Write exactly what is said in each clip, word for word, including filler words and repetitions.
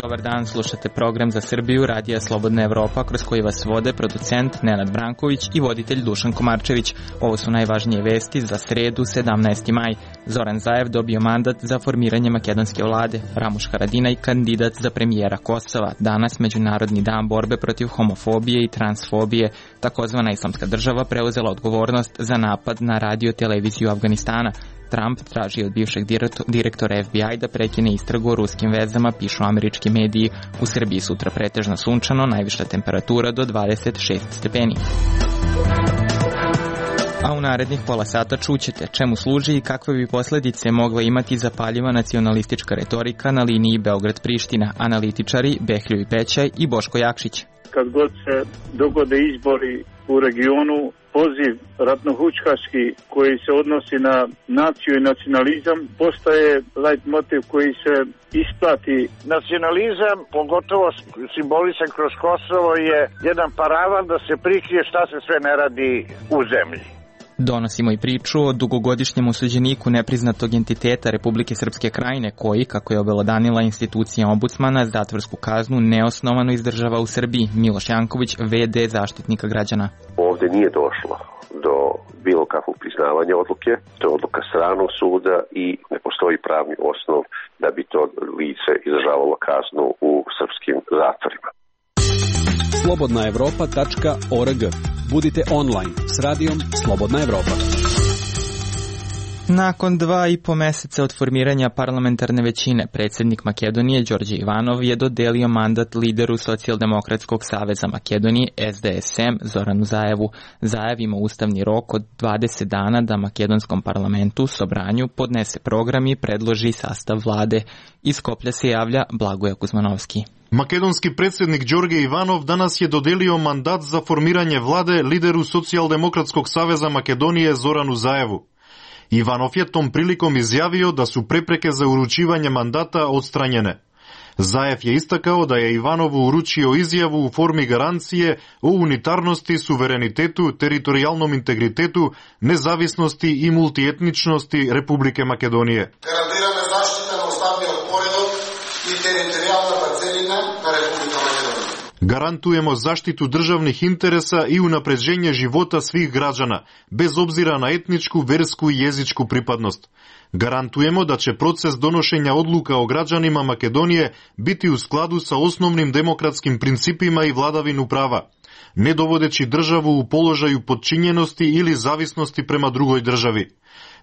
Dobar dan, slušate program za Srbiju, Radija Slobodna Evropa, kroz koji vas vode producent Nenad Branković i voditelj Dušan Komarčević. Ovo su najvažnije vesti za sredu, sedamnaesti maj. Zoran Zaev dobio mandat za formiranje makedonske vlade. Ramuš Haradinaj kandidat za premijera Kosova. Danas Međunarodni dan borbe protiv homofobije i transfobije. Takozvana Islamska država preuzela odgovornost za napad na radio televiziju Afganistana. Trump traži od bivšeg direktora F B I da prekine istragu o ruskim vezama, pišu američki mediji. U Srbiji sutra pretežno sunčano, najviša temperatura do dvadeset šest stepeni. A u narednih pola sata čućete čemu služi i kakve bi posledice mogla imati zapaljiva nacionalistička retorika na liniji Beograd-Priština. Analitičari Behlju i Pećaj i Boško Jakšić. Kad god se dogode izbori u regionu, poziv ratnohučkaški koji se odnosi na naciju i nacionalizam postaje light motiv koji se isplati. Nacionalizam, pogotovo simbolisan kroz Kosovo, je jedan paravan da se prikrije šta se sve ne radi u zemlji. Donosimo i priču o dugogodišnjem osuđeniku nepriznatog entiteta Republike Srpske Krajine koji, kako je obelodanila institucija ombudsmana, zatvorsku kaznu neosnovano izdržava u Srbiji. Miloš Janković, ve de Zaštitnika građana. Ovdje nije došlo do bilo kakvog priznavanja odluke, to je odluka stranog suda i ne postoji pravni osnov da bi to lice izdržavalo kaznu u srpskim zatvorima. slobodna evropa tačka org. Budite online s radijom Slobodna Evropa. Nakon dva i po meseca od formiranja parlamentarne većine, predsjednik Makedonije Đorđe Ivanov je dodelio mandat lideru Socijaldemokratskog saveza Makedonije S D S M Zoranu Zaevu. Zaev ima ustavni rok od dvadeset dana da makedonskom parlamentu Sobranju podnese program i predloži sastav vlade. Iz Skoplja se javlja Blagoje Kuzmanovski. Makedonski predsjednik Đorđe Ivanov danas je dodelio mandat za formiranje vlade lideru Socijaldemokratskog saveza Makedonije Zoranu Zaevu. Ivanov je tom prilikom izjavio da su prepreke za uručivanje mandata odstranjene. Zaev je istakao da je Ivanovu uručio izjavu u formi garancije o unitarnosti, suverenitetu, teritorijalnom integritetu, nezavisnosti i multietničnosti Republike Makedonije. Garantirana zaštita na ustavni poredak i teritorijalna parcelina na Republika Makedonija. Garantujemo zaštitu državnih interesa i unapređenje života svih građana, bez obzira na etničku, versku i jezičku pripadnost. Garantujemo da će proces donošenja odluka o građanima Makedonije biti u skladu sa osnovnim demokratskim principima i vladavinu prava, ne dovodeći državu u položaju podčinjenosti ili zavisnosti prema drugoj državi.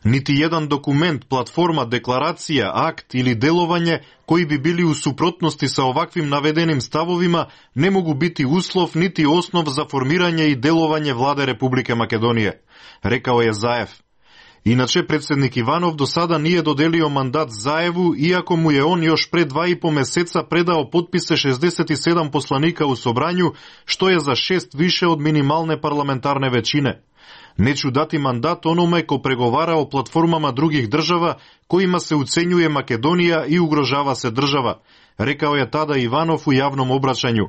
Niti jedan dokument, platforma, deklaracija, akt ili delovanje koji bi bili u suprotnosti sa ovakvim navedenim stavovima ne mogu biti uslov niti osnov za formiranje i delovanje vlade Republike Makedonije, rekao je Zaev. Inače, predsjednik Ivanov do sada nije dodelio mandat Zaevu, iako mu je on još pre dva i po meseca predao potpise šezdeset sedam poslanika u Sobranju, što je za šest više od minimalne parlamentarne većine. Neću dati mandat onome ko pregovara o platformama drugih država kojima se ucenjuje Makedonija i ugrožava se država, rekao je tada Ivanov u javnom obraćanju.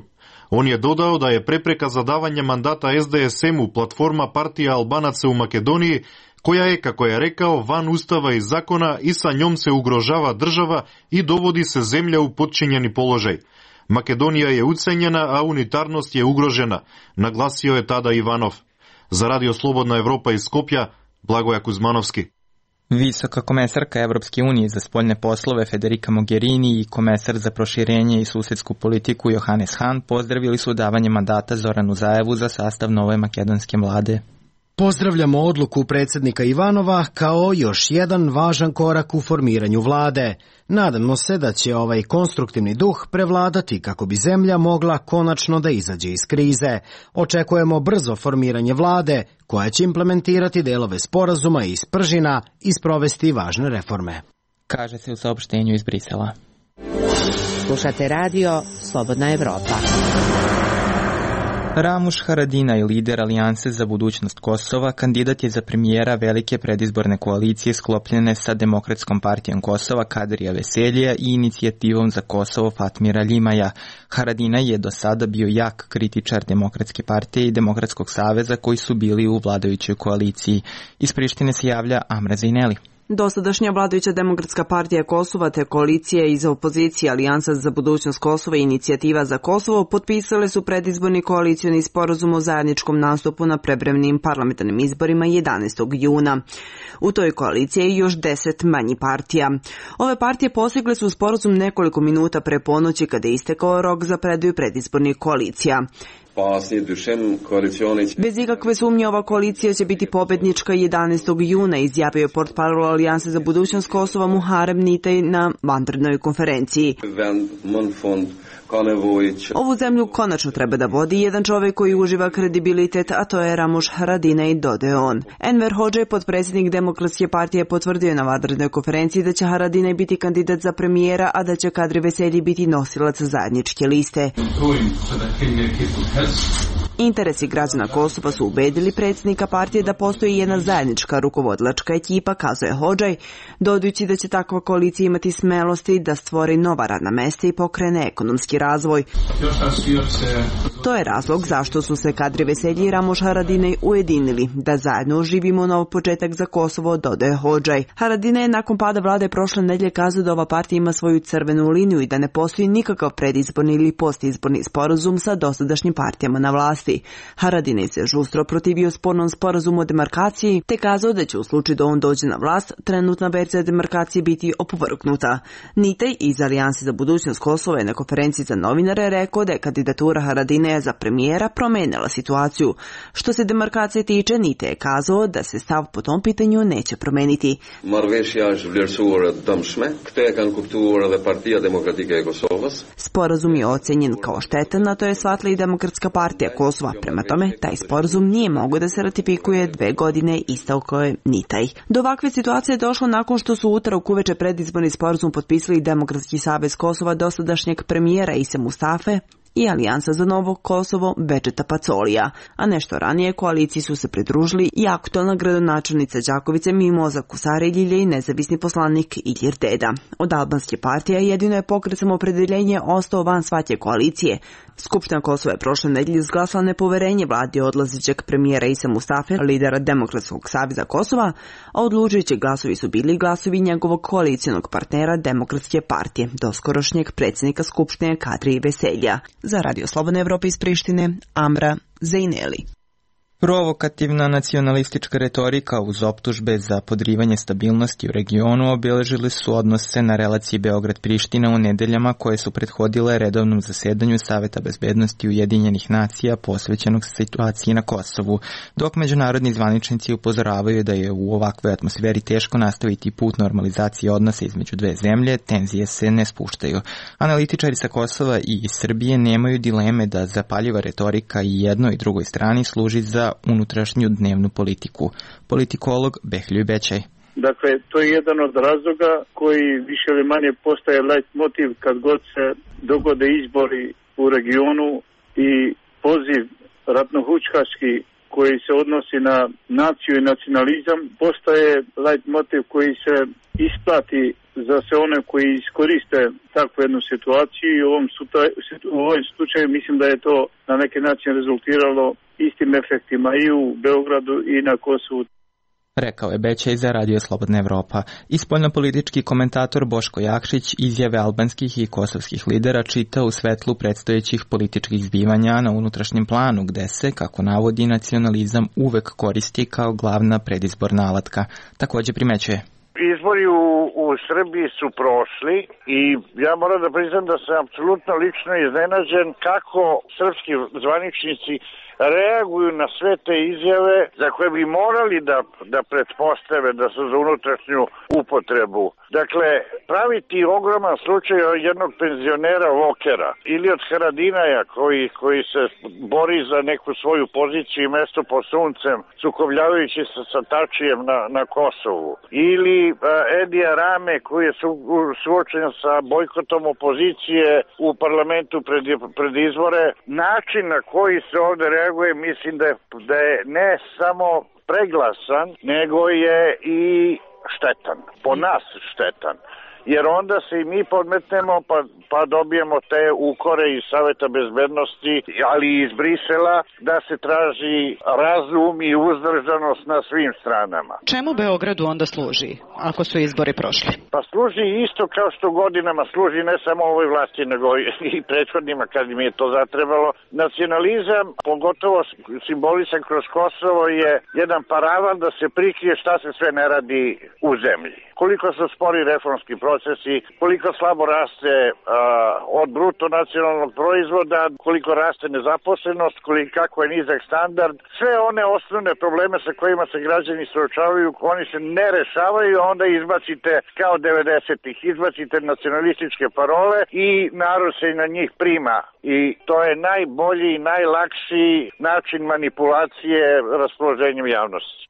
On je dodao da je prepreka za davanje mandata S D S M-u platforma partija Albanaca u Makedoniji, koja je, kako je rekao, van ustava i zakona i sa njom se ugrožava država i dovodi se zemlja u podčinjeni položaj. Makedonija je ucenjena, a unitarnost je ugrožena, naglasio je tada Ivanov. Za Radio Slobodna Evropa iz Skopja, Blagoje Kuzmanovski. Visoka komesarka Evropske unije za spoljne poslove Federica Mogherini i komesar za proširenje i susedsku politiku Johannes Hahn pozdravili su davanje mandata Zoranu Zaevu za sastav nove makedonske vlade. Pozdravljamo odluku predsjednika Ivanova kao još jedan važan korak u formiranju vlade. Nadamo se da će ovaj konstruktivni duh prevladati kako bi zemlja mogla konačno da izađe iz krize. Očekujemo brzo formiranje vlade koja će implementirati delove sporazuma iz Pržina i sprovesti važne reforme. Kaže se u saopštenju iz Brisela. Slušate radio Slobodna Evropa. Ramuš Haradinaj, lider Alijanse za budućnost Kosova, kandidat je za premijera velike predizborne koalicije sklopljene sa Demokratskom partijom Kosova Kadrija Veseljija i inicijativom za Kosovo Fatmira Ljimaja. Haradinaj je do sada bio jak kritičar Demokratske partije i Demokratskog saveza koji su bili u vladajućoj koaliciji. Iz Prištine se javlja Amra Zejneli. Dosadašnja vladajuća Demokratska partija Kosova te koalicije iz opozicije Alijansa za budućnost Kosova i inicijativa za Kosovo potpisale su predizborni koalicioni sporazum o zajedničkom nastupu na prevremnim parlamentarnim izborima jedanaestog juna. U toj koaliciji je još deset manji partija. Ove partije postigle su sporazum nekoliko minuta pre ponoći kada je istekao rok za predaju predizbornih koalicija. Bez ikakve sumnje ova koalicija će biti pobednička jedanaestog juna, izjavio je portparol Alijanse za budućnost Kosova Muharem Nitej na vanrednoj konferenciji. Ovu zemlju konačno treba da vodi jedan čovjek koji uživa kredibilitet, a to je Ramuš Haradinaj, dodao on. Enver Hodžaj, potpredsjednik Demokratske partije, potvrdio na vanrednoj konferenciji da će Haradinaj biti kandidat za premijera, a da će Kadri Veselji biti nosilac zajedničke liste. Interesi građana Kosova su ubedili predsjednika partije da postoji jedna zajednička rukovodilačka ekipa, kazuje Hodžaj, dodajući da će takva koalicija imati smelosti da stvori nova radna mesta i pokrene ekonomski razvoj. To je razlog zašto su se Kadri Veselji i Ramuš Haradinaj ujedinili, da zajedno oživimo nov početak za Kosovo, dodaje Hodžaj. Haradinaj je nakon pada vlade prošle nedelje kazao da ova partija ima svoju crvenu liniju i da ne postoji nikakav predizborni ili postizborni sporazum sa dosadašnjim partijama na vlasti. Haradinaj se žustro protivio spornom sporazumu o demarkaciji, te kazao da će u slučaju da on dođe na vlast, trenutna verzija demarkacije biti opovrgnuta. Nitej iz Alijanse za budućnost Kosova je na konferenciji za novinare rekao da je kandidatura Haradinaja za premijera promenila situaciju. Što se demarkacije tiče, Nitej je kazao da se stav po tom pitanju neće promeniti. Sporazum je ocenjen kao štetan, a to je shvatila i Demokratska partija Kosova. Prema tome, taj sporazum nije mogao da se ratifikuje dve godine, istakao je Nitej. Do ovakve situacije je došlo nakon što su utorak uveče predizborni sporazum potpisali Demokratski savez Kosova dosadašnjeg premijera Ise Mustafe i Alijansa za novo Kosovo Bedžeta Pacolija, a nešto ranije koaliciji su se pridružili i aktualna gradonačelnica Đakovice Mimoza Kusareljilje i nezavisni poslanik Ilir Deda. Od albanske partije jedino je pokret Samoopredeljenje ostao van svaće koalicije. Skupština Kosova je prošle nedelje izglasala nepoverenje vladi odlazećeg premijera Ise Mustafe, lidera Demokratskog saveza Kosova, a odlučujući glasovi su bili glasovi njegovog koalicijonog partnera Demokratske partije, doskorošnjeg predsjednika Skupštine Kadri Veselja. Za Radio Slobodne Evrope iz Prištine, Amra Zejneli. Provokativna nacionalistička retorika uz optužbe za podrivanje stabilnosti u regionu obeležili su odnose na relaciji Beograd-Priština u nedeljama koje su prethodile redovnom zasedanju Saveta bezbednosti Ujedinjenih nacija posvećenog situaciji na Kosovu, dok međunarodni zvaničnici upozoravaju da je u ovakvoj atmosferi teško nastaviti put normalizacije odnosa između dve zemlje, tenzije se ne spuštaju. Analitičari sa Kosova i iz Srbije nemaju dileme da zapaljiva retorika i jednoj i drugoj strani služi za unutrašnju dnevnu politiku. Politikolog Behljuj Bećaj. Dakle, to je jedan od razloga koji više ili manje postaje leitmotiv kad god se dogode izbori u regionu i poziv ratnohučkaški koji se odnosi na naciju i nacionalizam postaje leitmotiv koji se isplati za sve one koji iskoriste takvu jednu situaciju i u ovom, u ovom slučaju mislim da je to na neki način rezultiralo istim efektima i u Beogradu i na Kosovu. Rekao je Bećaj za Radio Slobodna Evropa. I spoljnopolitički komentator Boško Jakšić izjave albanskih i kosovskih lidera čita u svetlu predstojećih političkih zbivanja na unutrašnjem planu, gde se, kako navodi, nacionalizam uvek koristi kao glavna predizborna alatka. Takođe primećuje. Izbori u, u Srbiji su prošli i ja moram da priznam da sam apsolutno lično iznenađen kako srpski zvaničnici reaguju na sve te izjave za koje bi morali da, da pretpostave da su za unutrašnju upotrebu. Dakle, praviti ogroman slučaj od jednog penzionera Vokera ili od Haradinaja koji, koji se bori za neku svoju poziciju i mesto pod suncem, sukobljavajući se sa Tačijem na, na Kosovu. Ili uh, Edija Rame koji je su, suočen sa bojkotom opozicije u parlamentu pred, pred izbore. Način na koji se ovde reaguje mislim da je, da je ne samo preglasan, nego je i štetan. Po nas štetan. Jer onda se i mi podmetnemo pa, pa dobijemo te ukore iz Saveta bezbednosti, ali i iz Brisela, da se traži razum i uzdržanost na svim stranama. Čemu Beogradu onda služi, ako su izbori prošli? Pa služi isto kao što godinama služi ne samo ovoj vlasti, nego i prethodnima kad im je to zatrebalo. Nacionalizam, pogotovo simbolisan kroz Kosovo, je jedan paravan da se prikrije šta se sve ne radi u zemlji. Koliko su spori reformski procesi, koliko slabo raste a, od bruto nacionalnog proizvoda, koliko raste nezaposlenost, koliko, kako je nizak standard. Sve one osnovne probleme sa kojima se građani suočavaju, oni se ne rešavaju, a onda izbacite kao devedesetih, izbacite nacionalističke parole i narod se na njih prima. I to je najbolji i najlakši način manipulacije raspoloženjem javnosti.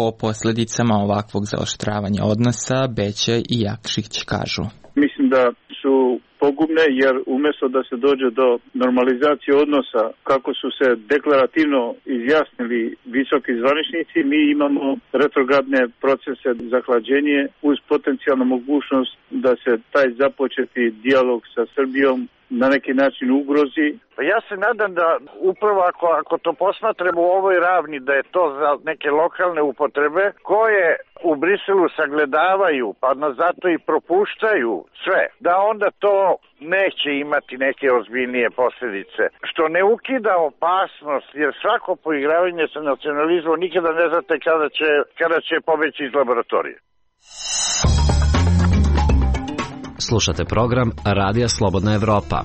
O posljedicama ovakvog zaoštravanja odnosa Beća i Jakšić kažu. Mislim da su pogubne jer umjesto da se dođe do normalizacije odnosa kako su se deklarativno izjasnili visoki zvaničnici, mi imamo retrogradne procese za hlađenje uz potencijalnu mogućnost da se taj započeti dijalog sa Srbijom na neki način ugrozi. Ja se nadam da upravo ako, ako to posmatramo u ovoj ravni, da je to za neke lokalne upotrebe koje u Briselu sagledavaju, pa nas zato i propuštaju sve, da onda to neće imati neke ozbiljnije posljedice. Što ne ukida opasnost, jer svako poigravanje sa nacionalizmom nikada ne znate kada će, kada će pobeći iz laboratorije. Slušate program Radija Slobodna Evropa.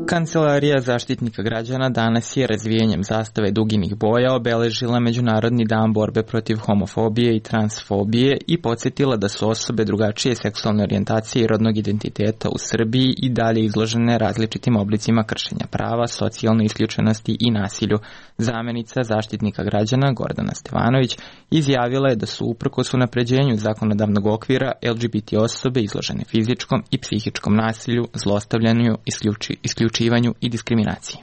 Kancelarija zaštitnika građana danas je razvijanjem zastave duginih boja obeležila Međunarodni dan borbe protiv homofobije i transfobije i podsjetila da su osobe drugačije seksualne orijentacije i rodnog identiteta u Srbiji i dalje izložene različitim oblicima kršenja prava, socijalne isključenosti i nasilju. Zamenica zaštitnika građana Gordana Stevanović izjavila je da su uprkos unapređenju zakonodavnog okvira L G B T osobe izložene fizičkom i psihičkom nasilju, zlostavljanju, isključi, isključivanju i diskriminaciji.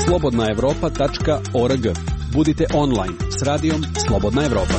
slobodna evropa tačka org. Budite online s radijom Slobodna Evropa.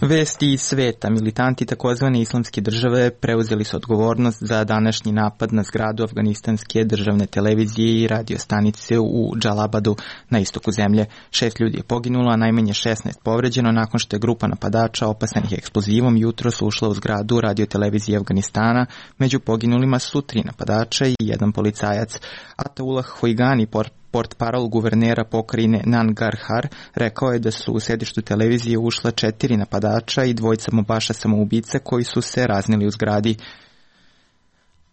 Vesti iz sveta. Militanti takozvane islamske države preuzeli su odgovornost za današnji napad na zgradu afganistanske državne televizije i radiostanice u Džalabadu na istoku zemlje. Šest ljudi je poginulo, a najmanje šesnaest povređeno nakon što je grupa napadača opasanih eksplozivom jutros ušla u zgradu radiotelevizije Afganistana. Među poginulima su tri napadača i jedan policajac. Ataullah Hoigani, portparol guvernera pokrajine Nangarhar, rekao je da su u sedištu televizije ušla četiri napadača i dvojica mobaša samoubice koji su se raznili u zgradi.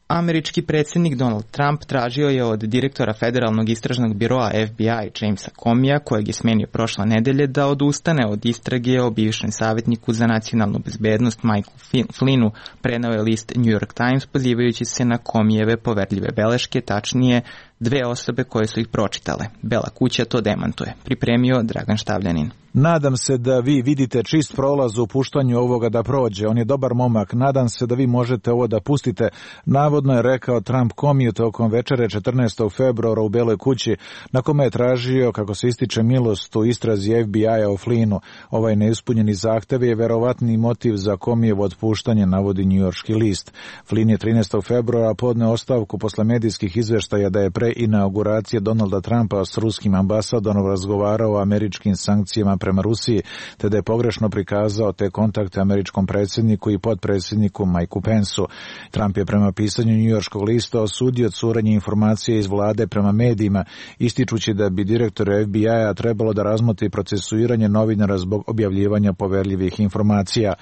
Američki predsjednik Donald Trump tražio je od direktora Federalnog istražnog biroa F B I Jamesa Comija, kojeg je smenio prošle nedelje, da odustane od istrage o bivšem savjetniku za nacionalnu bezbednost Michael Flynnu, preneo je list New York Times pozivajući se na Comijeve poverljive beleške, tačnije dve osobe koje su ih pročitale. Bela kuća to demantuje. Pripremio Dragan Štavljanin. Nadam se da vi vidite čist prolaz u puštanju ovoga da prođe. On je dobar momak. Nadam se da vi možete ovo da pustite. Navodno je rekao Trump Comiju tokom večere četrnaestog februara u Beloj kući, na kome je tražio, kako se ističe, milost u istrazi F B I-a o Flynnu. Ovaj neispunjeni zahtev je verovatni motiv za Comijevo otpuštanje, navodi njujorški list. Flynn je trinaestog februara podneo ostavku posle medijskih izveštaja da je pre pre inauguracije Donalda Trumpa s ruskim ambasadorom razgovarao o američkim sankcijama prema Rusiji, te da je pogrešno prikazao te kontakte američkom predsjedniku i potpredsjedniku Mikeu Pensu. Trump je prema pisanju njujorškog lista osudio curenje informacije iz vlade prema medijima, ističući da bi direktor F B I-a trebalo da razmotri procesuiranje novinara zbog objavljivanja poverljivih informacija.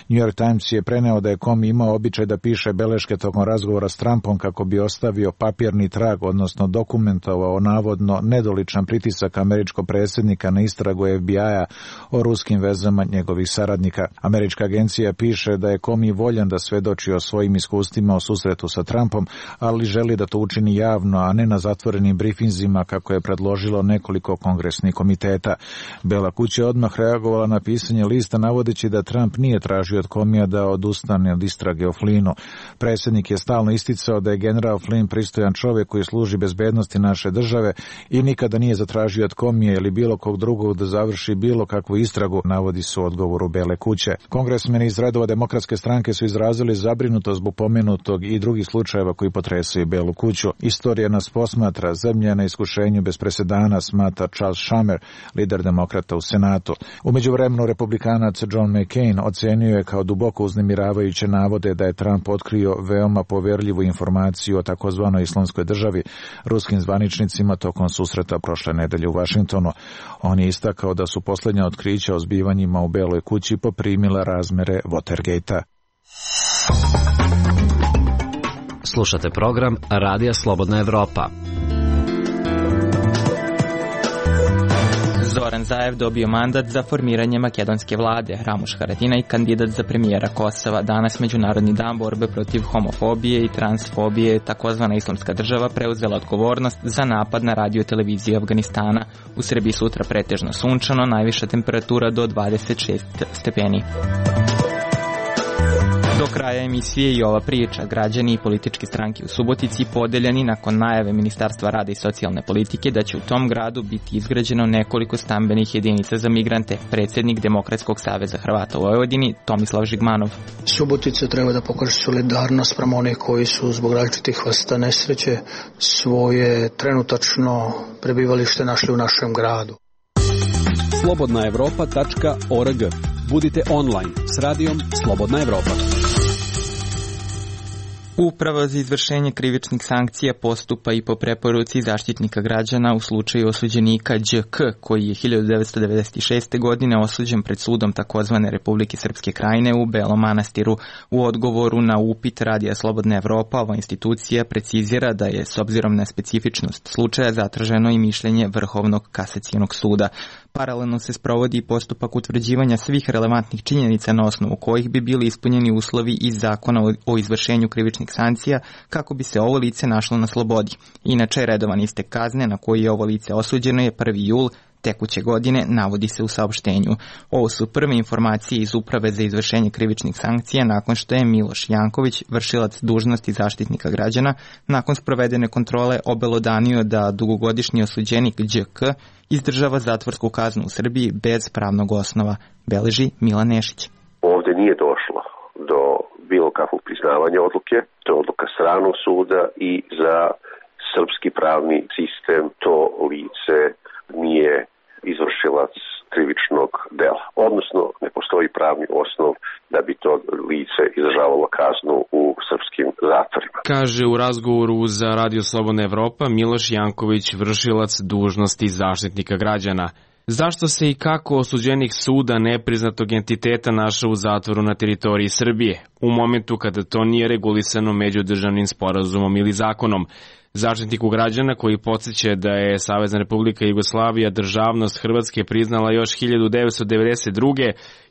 New York Times je preneo da je Comey imao običaj da piše beleške tokom razgovora s Trumpom kako bi ostavio papirni trag, odnosno dokumentovao navodno nedoličan pritisak američkog predsjednika na istragu F B I-a o ruskim vezama njegovih saradnika. Američka agencija piše da je Comey voljan da svedoči o svojim iskustvima o susretu sa Trumpom, ali želi da to učini javno, a ne na zatvorenim brifinzima kako je predložilo nekoliko kongresnih komiteta. Bela kuća je odmah reagovala na pisanje lista navodeći da Trump nije tražio od Comeyja da odustane od istrage o Flynnu. Predsjednik je stalno isticao da je general Flynn pristojan čovjek koji služi bezbednosti naše države i nikada nije zatražio od Comeyja ili bilo kog drugog da završi bilo kakvu istragu, navodi se u odgovoru Bele kuće. Kongresmeni iz redova Demokratske stranke su izrazili zabrinutost zbog pomenutog i drugih slučajeva koji potresaju Belu kuću. Istorija nas posmatra, zemlja na iskušenju bez presedana, smatra Charles Schumer, lider demokrata u Senatu. U međuvremenu republikanac John McCain ocenio je kao duboko uznemiravajuće navode da je Trump otkrio veoma poverljivu informaciju o takozvanoj islamskoj državi ruskim zvaničnicima tokom susreta prošle nedelje u Vašingtonu. On je istakao da su posljednja otkrića o zbivanjima u Beloj kući poprimila razmere Watergate-a. Slušate program Radija Slobodna Evropa. Zoran Zaev dobio mandat za formiranje makedonske vlade. Ramuš Haradinaj, kandidat za premijera Kosova. Danas Međunarodni dan borbe protiv homofobije i transfobije, takozvana islamska država preuzela odgovornost za napad na radio televiziju Afganistana. U Srbiji sutra pretežno sunčano, najviša temperatura do dvadeset šest stepeni. Do kraja emisije i ova priča. Građani i političke stranke u Subotici podeljeni nakon najave Ministarstva rada i socijalne politike da će u tom gradu biti izgrađeno nekoliko stambenih jedinica za migrante. Predsjednik Demokratskog saveza Hrvata u Vojvodini Tomislav Žigmanov. Subotica treba da pokaže solidarnost prema onih koji su zbog različitih vrsta nesreće svoje trenutačno prebivalište našli u našem gradu. slobodna evropa tačka org. Budite online s radijom Slobodna Evropa. Uprava za izvršenje krivičnih sankcija postupa i po preporuci Zaštitnika građana u slučaju osuđenika Đ K, koji je hiljadu devetsto devedeset šeste. godine osuđen pred sudom takozvane Republike Srpske Krajine u Belom Manastiru. U odgovoru na upit Radija Slobodna Evropa, ova institucija precizira da je s obzirom na specifičnost slučaja zatraženo i mišljenje Vrhovnog kasacionog suda. Paralelno se sprovodi postupak utvrđivanja svih relevantnih činjenica na osnovu kojih bi bili ispunjeni uslovi iz zakona o izvršenju krivičnih sankcija kako bi se ovo lice našlo na slobodi. Inače, redovan istek kazne na koji je ovo lice osuđeno je prvi jul tekuće godine, navodi se u saopštenju. Ovo su prve informacije iz Uprave za izvršenje krivičnih sankcija nakon što je Miloš Janković, vršilac dužnosti Zaštitnika građana, nakon sprovedene kontrole obelodanio da dugogodišnji osuđenik Đ K izdržava zatvorsku kaznu u Srbiji bez pravnog osnova, beleži Milan Nešić. Ovdje nije došlo do bilo kakvog priznavanja odluke, to je odluka stranog suda i za srpski pravni sistem to lice nije izvršilac krivičnog dela, odnosno ne postoji pravni osnov da bi to lice izdržavalo kaznu u srpskim zatvorima. Kaže u razgovoru za Radio Slobodna Evropa Miloš Janković, vršilac dužnosti Zaštitnika građana. Zašto se i kako osuđenik suda nepriznatog entiteta našao u zatvoru na teritoriji Srbije, u momentu kada to nije regulisano međudržavnim sporazumom ili zakonom? Zaštitniku građana, koji podsjeća da je Savezna Republika Jugoslavija državnost Hrvatske priznala još hiljadu devetsto devedeset druge.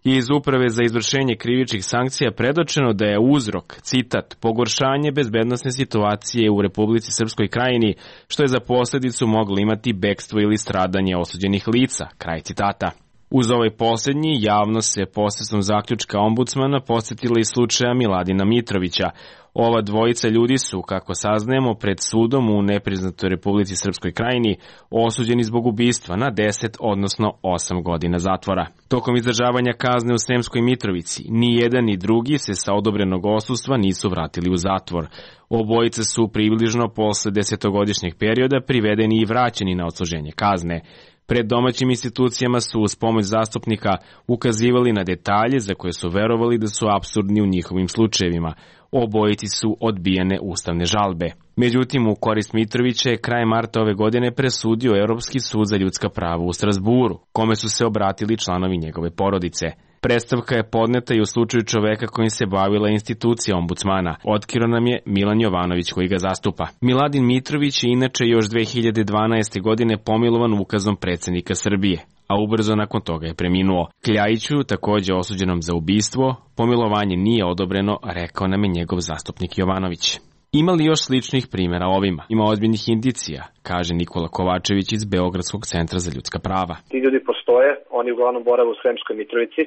je iz Uprave za izvršenje krivičnih sankcija predočeno da je uzrok, citat, pogoršanje bezbednosne situacije u Republici Srpskoj Krajini, što je za posljedicu moglo imati bekstvo ili stradanje osuđenih lica, kraj citata. Uz ovaj posljednji, javnost se posredstvom zaključka ombudsmana posjetila i slučaja Miladina Mitrovića. Ova dvojica ljudi su, kako saznajemo, pred sudom u nepriznatoj Republici Srpskoj Krajini osuđeni zbog ubistva na deset, odnosno osam godina zatvora. Tokom izdržavanja kazne u Sremskoj Mitrovici, ni jedan ni drugi se sa odobrenog odsustva nisu vratili u zatvor. Obojice su približno posle desetogodišnjeg perioda privedeni i vraćeni na odsluženje kazne. Pred domaćim institucijama su uz pomoć zastupnika ukazivali na detalje za koje su verovali da su apsurdni u njihovim slučajevima. Obojici su odbijene ustavne žalbe. Međutim, u korist Mitrovića je kraj marta ove godine presudio Europski sud za ljudska prava u Strasburu, kome su se obratili članovi njegove porodice. Predstavka je podneta i u slučaju čoveka kojim se bavila institucija ombudsmana. Otkrio nam je Milan Jovanović koji ga zastupa. Miladin Mitrović je inače još dve hiljade dvanaeste. godine pomilovan ukazom predsjednika Srbije, a ubrzo nakon toga je preminuo. Kljajiću, takođe osuđenom za ubistvo, pomilovanje nije odobreno, rekao nam je njegov zastupnik Jovanović. Ima li još sličnih primjera ovima? Ima ozbiljnih indicija, kaže Nikola Kovačević iz Beogradskog centra za ljudska prava. Ti ljudi postoje, oni uglavnom borave u Sremskoj Mitrovici.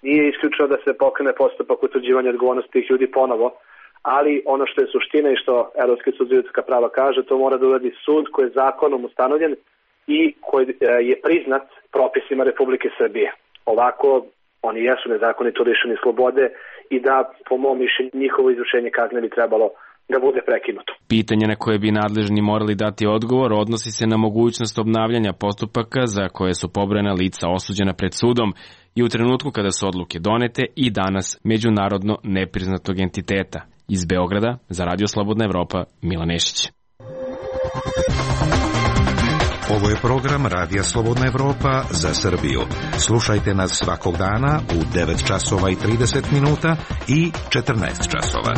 Nije isključeno da se pokrene postupak utvrđivanja odgovornosti tih ljudi ponovo, ali ono što je suština i što Evropski sud za ljudska prava kaže, to mora da uradi sud koji je zakonom ustanovljen i koji je priznat propisima Republike Srbije. Ovako, oni jesu nezakonito lišeni slobode i da, po mom mišljenju, njihovo izvršenje kazne bi trebalo da bude prekinuto. Pitanje na koje bi nadležni morali dati odgovor odnosi se na mogućnost obnavljanja postupaka za koje su pobrojana lica osuđena pred sudom i u trenutku kada su odluke donete i danas međunarodno nepriznatog entiteta. Iz Beograda, za Radio Slobodna Evropa, Milan Nešić. Ovo je program Radija Slobodna Evropa za Srbiju. Slušajte nas svakog dana u devet časova i trideset minuta i četrnaest časova.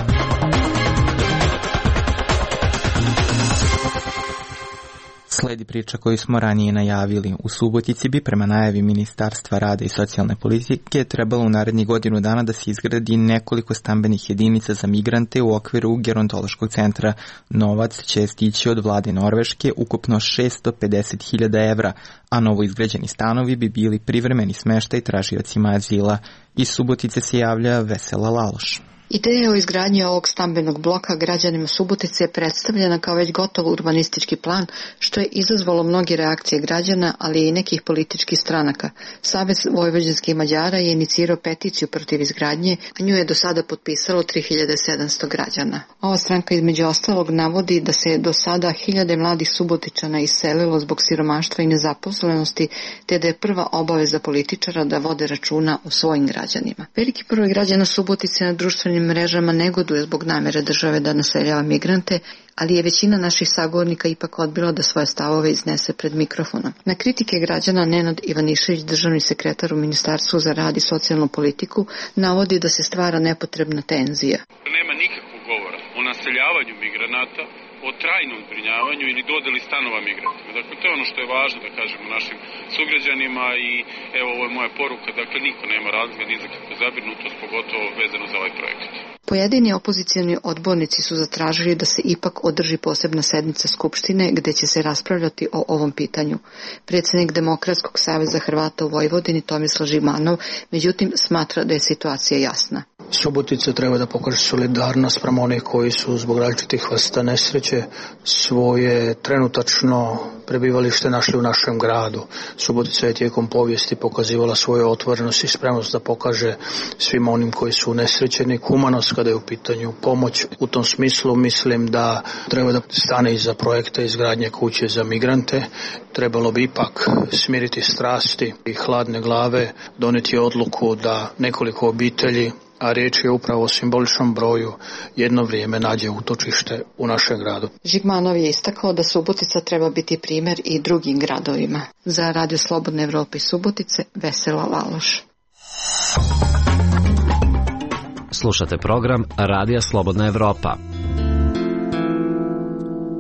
Sledi priča koju smo ranije najavili. U Subotici bi prema najavi Ministarstva rada i socijalne politike trebalo u narednih godinu dana da se izgradi nekoliko stambenih jedinica za migrante u okviru gerontološkog centra. Novac će stići od vlade Norveške, ukupno šesto pedeset hiljada evra, a novo izgrađeni stanovi bi bili privremeni smeštaj tražiocima azila. Iz Subotice se javlja Vesela Laloš. Ideja o izgradnji ovog stambenog bloka građanima Subotice je predstavljena kao već gotov urbanistički plan, što je izazvalo mnoge reakcije građana, ali i nekih političkih stranaka. Savez vojvođanskih Mađara je inicirao peticiju protiv izgradnje, a nju je do sada potpisalo tri hiljade sedamsto građana. Ova stranka između ostalog navodi da se do sada hiljade mladih Subotičana iselilo zbog siromaštva i nezaposlenosti, te da je prva obaveza političara da vode računa o svojim građanima. Veliki broj građana Subotice na društvenim mrežama negoduje zbog namere države da naseljava migrante, ali je većina naših sagovornika ipak odbila da svoje stavove iznese pred mikrofonom. Na kritike građana Nenad Ivanišević, državni sekretar u Ministarstvu za rad i socijalnu politiku, navodi da se stvara nepotrebna tenzija. Nema nikakvog govora o naseljavanju migranata, o trajnom zbrinjavanju ili dodeli stanova migrantima. Dakle, to je ono što je važno da kažemo našim sugrađanima i evo ovo je moja poruka, dakle niko nema razloga ni za kakvu zabrinutost, pogotovo vezano za ovaj projekat. Pojedini opozicijani odbornici su zatražili da se ipak održi posebna sednica Skupštine gde će se raspravljati o ovom pitanju. Predsjednik Demokratskog saveza Hrvata u Vojvodini Tomislav Žigmanov, međutim, smatra da je situacija jasna. Subotica treba da pokaže solidarnost prema onih koji su zbog različitih vrsta nesreće svoje trenutačno prebivalište našli u našem gradu. Subotica je tijekom povijesti pokazivala svoju otvorenost i spremnost da pokaže svim onim koji su unesrećeni humanost kada je u pitanju pomoć. U tom smislu mislim da treba da stane iza projekta izgradnje kuće za migrante. Trebalo bi ipak smiriti strasti i hladne glave, doneti odluku da nekoliko obitelji, a riječ je upravo o simboličnom broju, jedno vrijeme nađe utočište u našem gradu. Žigmanov je istakao da Subotica treba biti primjer i drugim gradovima. Za Radio Slobodne Evrope iz Subotice, Vesela Laloš. Slušate program Radija Slobodna Evropa.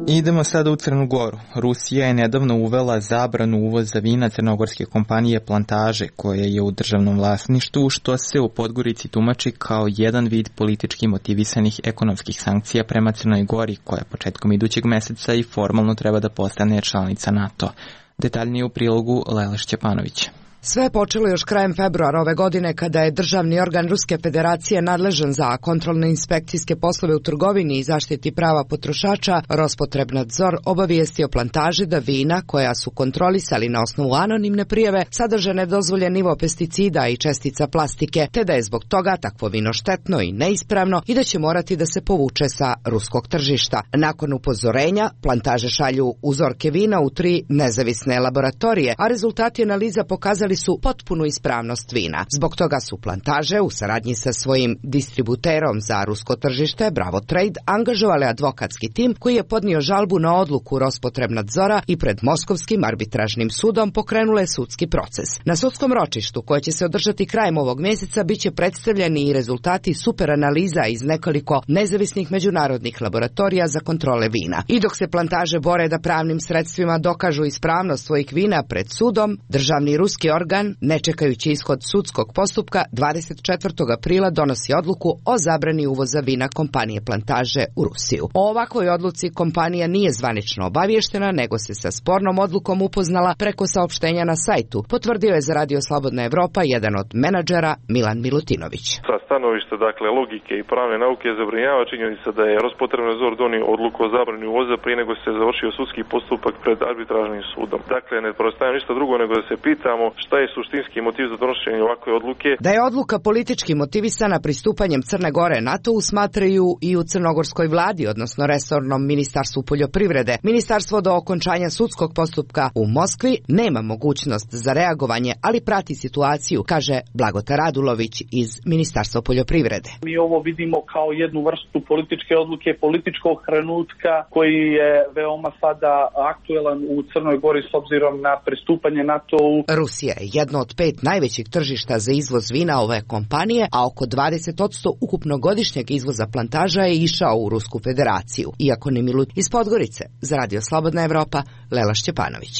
Idemo sada u Crnu Goru. Rusija je nedavno uvela zabranu uvoza vina crnogorske kompanije Plantaže, koje je u državnom vlasništvu, što se u Podgorici tumači kao jedan vid politički motivisanih ekonomskih sankcija prema Crnoj Gori, koja početkom idućeg meseca i formalno treba da postane članica NATO. Detaljnije u prilogu Lela Šćepanovića. Sve je počelo još krajem februara ove godine kada je državni organ Ruske federacije nadležan za kontrolne inspekcijske poslove u trgovini i zaštiti prava potrošača Rospotrebnadzor obavijestio plantaže da vina koja su kontrolisali na osnovu anonimne prijave sadrže nedozvoljen nivo pesticida i čestica plastike, te da je zbog toga takvo vino štetno i neispravno i da će morati da se povuče sa ruskog tržišta. Nakon upozorenja, plantaže šalju uzorke vina u tri nezavisne laboratorije, a rezultati analiza pokazali su potpunu ispravnost vina. Zbog toga su plantaže u saradnji sa svojim distributerom za rusko tržište Bravo Trade angažovale advokatski tim koji je podnio žalbu na odluku Rospotrebnadzora i pred Moskovskim arbitražnim sudom pokrenule sudski proces. Na sudskom ročištu koje će se održati krajem ovog mjeseca biće predstavljeni i rezultati superanaliza iz nekoliko nezavisnih međunarodnih laboratorija za kontrole vina. I dok se plantaže bore da pravnim sredstvima dokažu ispravnost svojih vina pred sudom, državni ruski organ, ne čekajući ishod sudskog postupka, dvadeset četvrtog aprila donosi odluku o zabrani uvoza vina kompanije Plantaže u Rusiju. O ovakvoj odluci kompanija nije zvanično obavještena, nego se sa spornom odlukom upoznala preko saopštenja na sajtu, potvrdio je za Radio Slobodna Evropa jedan od menadžera Milan Milutinović. Sa stanovišta dakle logike i pravne nauke zabrinjava činjenica da je Rospotrebnadzor donio odluku o zabrani uvoza prije nego se završio sudski postupak pred arbitražnim sudom. Dakle, ne preostaje ništa drugo nego da se pitamo šta je suštinski motiv za donošenje ovakve odluke. Da je odluka politički motivisana pristupanjem Crne Gore NATO-u smatraju i u crnogorskoj vladi, odnosno resornom ministarstvu poljoprivrede. Ministarstvo do okončanja sudskog postupka u Moskvi nema mogućnost za reagovanje, ali prati situaciju, kaže Blagota Radulović iz Ministarstva poljoprivrede. Mi ovo vidimo kao jednu vrstu političke odluke, političkog trenutka koji je veoma sada aktuelan u Crnoj Gori s obzirom na pristupanje NATO-u. Rusija je jedno od pet najvećih tržišta za izvoz vina ove kompanije, a oko dvadeset posto ukupno godišnjeg izvoza plantaža je išao u Rusku federaciju. Iako ni Milut iz Podgorice, za Radio Slobodna Evropa, Lela Šćepanović.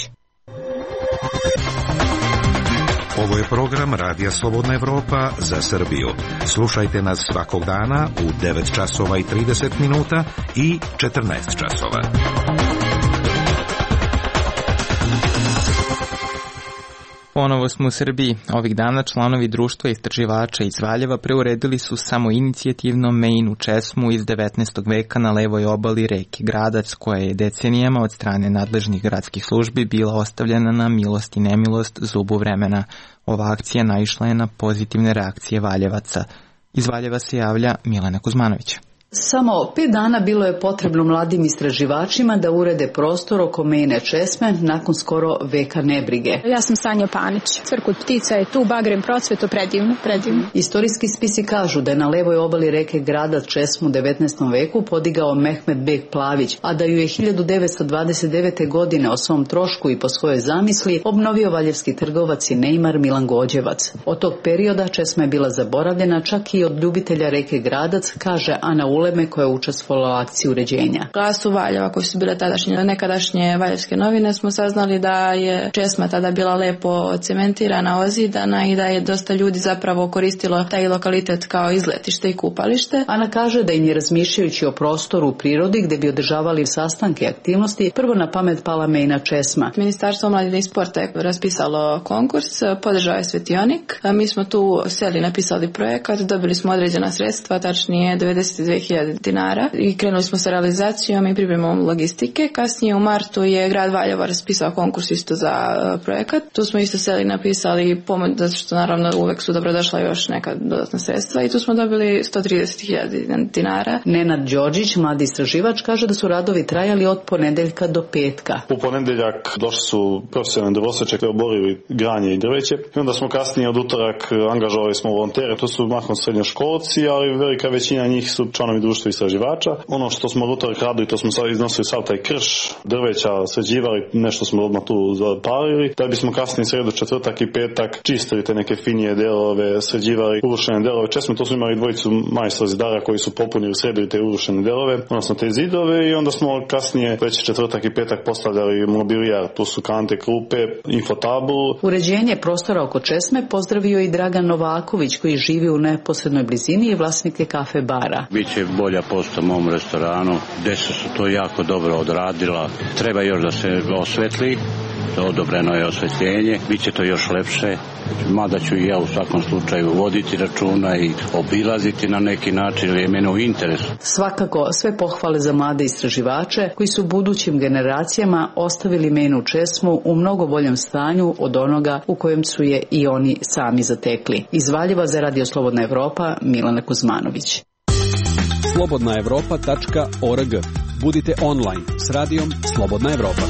Ovo je program Radija Slobodna Evropa za Srbiju. Slušajte nas svakog dana u devet časova i trideset minuta i četrnaest časova. Ponovo smo u Srbiji. Ovih dana članovi društva istraživača iz Valjeva preuredili su samo inicijativno Mejinu česmu iz devetnaestog veka na levoj obali reke Gradac, koja je decenijama od strane nadležnih gradskih službi bila ostavljena na milost i nemilost zubu vremena. Ova akcija naišla je na pozitivne reakcije Valjevaca. Iz Valjeva se javlja Milena Kuzmanović. Samo pet dana bilo je potrebno mladim istraživačima da urede prostor oko Mejine česme nakon skoro veka nebrige. Ja sam Sanja Panić. Cvrkut ptica je tu, bagrem procveto, predivno, predivno. Istorijski spisi kažu da je na levoj obali reke Gradac česmu u devetnaestom veku podigao Mehmed Bek Plavić, a da ju je hiljadu devetsto dvadeset devete. godine o svom trošku i po svojoj zamisli obnovio valjevski trgovac i neimar Milan Gođevac. Od tog perioda česma je bila zaboravljena čak i od ljubitelja reke Gradac, kaže Ana Uleme koja je učestvovala u akciji uređenja. Glasu Valjeva koji su bile tadašnje, nekadašnje valjevske novine smo saznali da je česma tada bila lepo cementirana, ozidana i da je dosta ljudi zapravo koristilo taj lokalitet kao izletište i kupalište. Ana kaže da im je razmišljajući o prostoru u prirodi gde bi održavali sastanke i aktivnosti prvo na pamet pala Mejina česma. Ministarstvo mladine i sporta je raspisalo konkurs, podržao je svetionik. Mi smo tu seli, napisali projekat, dobili smo određena sredstva, tačnije devedeset dve hiljade dinara i krenuli smo sa realizacijom i pripremom logistike. Kasnije u martu je grad Valjevo raspisao konkurs isto za projekat. Tu smo isto seli, napisali pomoć, zato što naravno uvek su dobrodošla još neka dodatna sredstva i tu smo dobili sto trideset hiljada dinara. Nenad Đorđić, mladi istraživač, kaže da su radovi trajali od ponedeljka do petka. U ponedeljak došli su profesionalni drvoseče koji oborili granje i drveće i onda smo kasnije od utorak angažovali smo volontere, to su mahom srednjoškolci, ali velika većina njih su članovi društva istraživača. Ono što smo od utorak radili, to smo sad iznosili sav taj krš, drveća sređivali, nešto smo odmah tu zapalili, da bismo kasnije sredu, četvrtak i petak čistili te neke finije delove, sređivali urušene delove česme. To smo imali dvojicu majstora zidara koji su popunili, sredili te urušene delove, odnosno te zidove i onda smo kasnije već četvrtak i petak postavljali mobilijar, tu su kante, klupe, infotabulu. Uređenje prostora oko česme pozdravio i Dragan Novaković koji živi u neposrednoj blizini i vlasnik je kafe bara. Biće bolja posta mom restoranu, gde su to jako dobro odradila. Treba još da se osvetli odobreno je osvetljenje, bit će to još lepše, mada ću i ja u svakom slučaju voditi računa i obilaziti na neki način, jer je mene u interesu. Svakako sve pohvale za mlade istraživače koji su budućim generacijama ostavili Menu česmu u mnogo boljem stanju od onoga u kojem su je i oni sami zatekli. Iz Valjeva za Radio Slobodna Evropa, Milana Kuzmanović. slobodna evropa tačka org. Budite online s radijom Slobodna Evropa.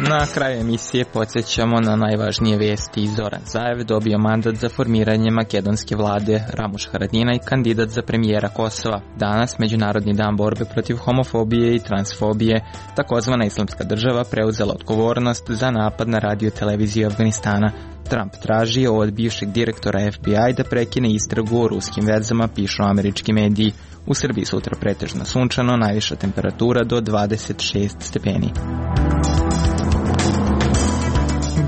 Na kraju emisije podsjećamo na najvažnije vesti. Zoran Zaev dobio mandat za formiranje makedonske vlade, Ramuš Haradinaj kandidat za premijera Kosova. Danas, Međunarodni dan borbe protiv homofobije i transfobije, takozvana Islamska država preuzela odgovornost za napad na radio televiziju Afganistana. Trump traži od bivšeg direktora F B I da prekine istragu o ruskim vezama, pišu američki mediji. U Srbiji sutra pretežno sunčano, najviša temperatura do dvadeset šest stepeni.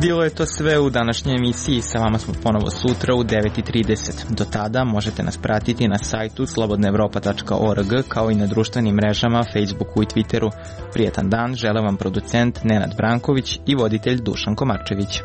Bilo je to sve u današnjoj emisiji, sa vama smo ponovo sutra u devet i trideset. Do tada možete nas pratiti na sajtu slobodna evropa tačka org kao i na društvenim mrežama, Facebooku i Twitteru. Prijetan dan žele vam producent Nenad Branković i voditelj Dušan Komarčević.